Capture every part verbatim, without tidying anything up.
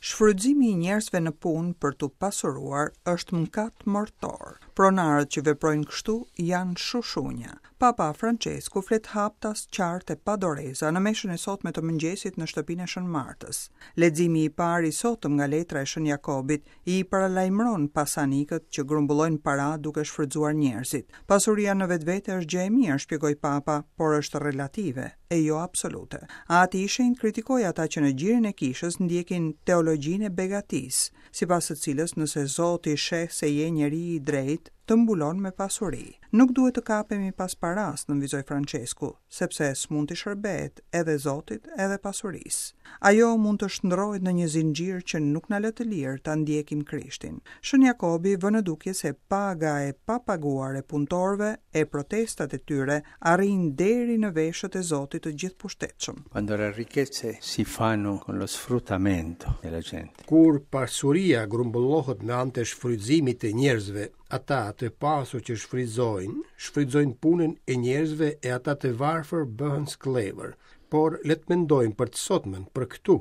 Shfrytëzimi i njerëzve në punë për t'u pasuruar është mëkat mortor. Pronarët që veprojnë kështu janë shushunja. Papa Francesku flet haptas, qartë e pa doreza në meshën e sotme të mëngjesit në shtëpinë e Shën Martës. Leximi i parë i sotëm nga letra e Shën Jakobit i paralajmëron pasanikët që grumbullojnë para duke shfrytëzuar njerëzit. Pasuria në vetvete është gjë e mirë, shpjegoi Papa, por është relative e jo absolute. Ati i Shenjtë kritikoi ata që në gjirin e kishës ndjekin teologjinë e begatisë, sipas së cilës nëse Zoti sheh se je njeri i drejtë, të mbulon me pasuri. Nuk duhet të kapemi pas paras, nënvizoi Francesku, sepse s'mund t'i shërbehet edhe Zotit edhe pasurisë. Ajo mund të shndrohet në një zinxhir që nuk na lë të lirë ta ndjekim Krishtin. Shën Jakobi vë në dukje se paga e papaguar e punëtorëve e protestat e tyre arrijnë deri në veshët e Zotit të gjithëpushtetshëm. Quando le ricchezze si fanno con lo sfruttamento della gente. Kur pasuria grumbullohet me anë të shfrytëzimit të njerëzve, ata të pasur që shfrytëzojnë, shfrytëzojnë punën e njerëzve e ata të varfër bëhen skllevër. Por le të mendojmë për të sotmen, për këtu,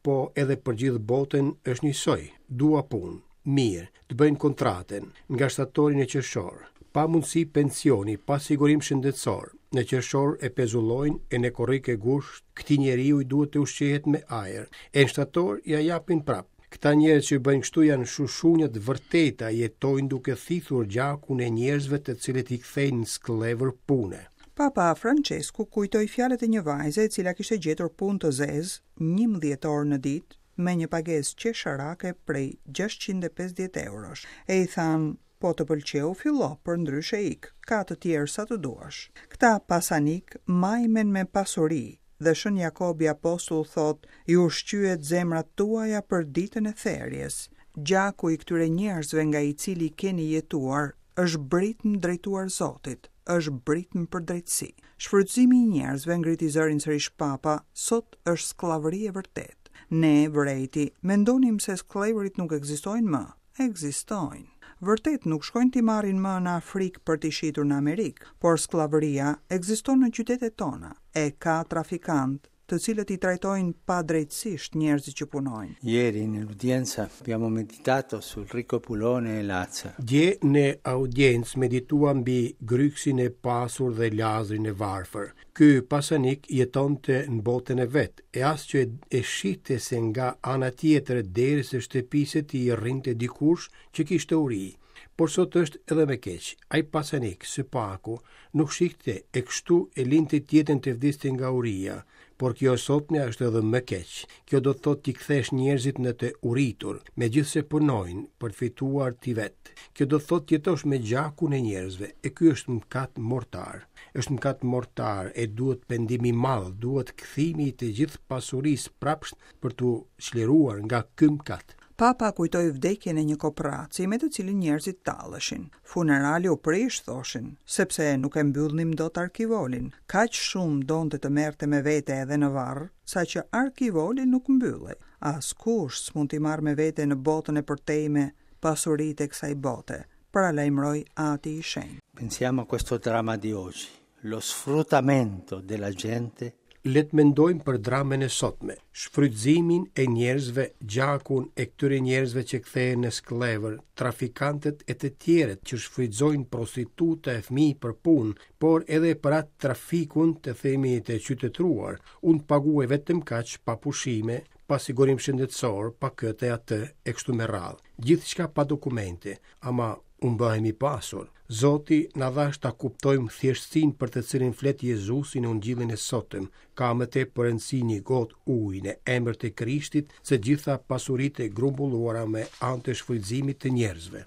po edhe për gjithë botën është njësoj. Dua punë, mirë, të bëjnë kontratën nga shtatori në qershor, pa mundësi pensioni, pa sigurim shëndetësor. Në qershor e pezullojnë e në korrik e gusht, këtij njeriu i duhet të ushqehet me ajër. E në shtator ja japin prap. Këta njerëz që bëjnë kështu janë shushunja të vërteta, jetojnë duke thithur gjakun e njerëzve të cilët i kthejnë në skllevër pune. Papa Francesku kujtoi fjalët e një vajze e cila kishte gjetur punë të zezë njëmbëdhjetë orë në ditë me një pagesë qesharake prej gjashtëqind e pesëdhjetë eurosh. E i thanë, po të pëlqeu fillo, për ndryshe ik, ka të tjerë sa të duash. Këta pasanik majmen me pasuri dhe Shën Jakobi apostull thot, ju ushqyet zemrat tuaja për ditën e therjes. Gjaku i këtyre njerëzve nga i cili keni jetuar është britmë drejtuar Zotit, është britmë për drejtësi. Shfrytëzimi i njerëzve, ngriti zërin sërish Papa, sot është skllavëri e vërtetë. Ne, vërejti, mendonim se skllevërit nuk ekzistojnë më. Ekzistojnë. Vërtet nuk shkojnë t'i marrin më në Afrikë për t'i shitur në Amerikë, por skllavëria ekziston në qytetet tona e ka trafikant të cilët i trajtojnë padrejtësisht njerëzit që punojnë. Ieri nell'udienza abbiamo meditato sul ricco Pulone e Lazzaro. Dje në audiencë medituam mbi gryksin e pasur dhe Lazrin e varfër. Ky pasanik jetonte në botën e vet, e as që e shihte se nga ana tjetër e derës së shtëpisë së tij rrinte dikush që kishte uri. Por sot është edhe më keq. Ai pasanik së paku nuk shihte e kështu e linte tjetën të vdiste nga uria. Por kjo e sotmja është edhe më keq. Kjo do të thotë t'i kthesh njerëzit në të uritur, megjithëse punojnë për të fituar ti vet. Kjo do të thotë të jetosh me gjakun e njerëzve, e ky është mëkat mortar. Është mëkat mortar e duhet pendim i madh, duhet kthimi i të gjithë pasurisë prapsht për t'u çliruar nga ky mëkat. Papa kujtoi vdekjen e një kopraci me të cilin njerëzit talleshin. Funerali u prish, thoshin, sepse nuk e mbyllnim dot arkivolin. Kaq shumë donte të merrte me vete edhe në varr, saqë arkivoli nuk mbyllej. Askush s'mund t'i marrë me vete në botën e përtejme pasuritë e kësaj bote, paralajmëroi Ati i Shenjtë. Pensiamo a questo dramma di oggi, lo sfruttamento della gente. Le të mendojmë për dramën e sotme, shfrytëzimin e njerëzve, gjakun e këtyre njerëzve që kthehen në skllevër, trafikantët e të tjerët që shfrytëzojnë prostituta e fëmijë për punë, por edhe për atë trafikun të themi të qytetëruar. Unë paguaj vetëm kaq pa pushime, pa sigurim shëndetësor, pa këtë e atë e kështu me radhë. Gjithçka pa dokumente, ama unë bëhem i pasur. Zoti na dhash ta kuptojmë thjeshtësinë për të cilin flet Jezusi në Ungjillin e sotëm. Ka më tepër rëndësi një gotë ujë në emër të Krishtit se gjitha pasuritë e grumbulluara me anë të shfrytëzimit të njerëzve.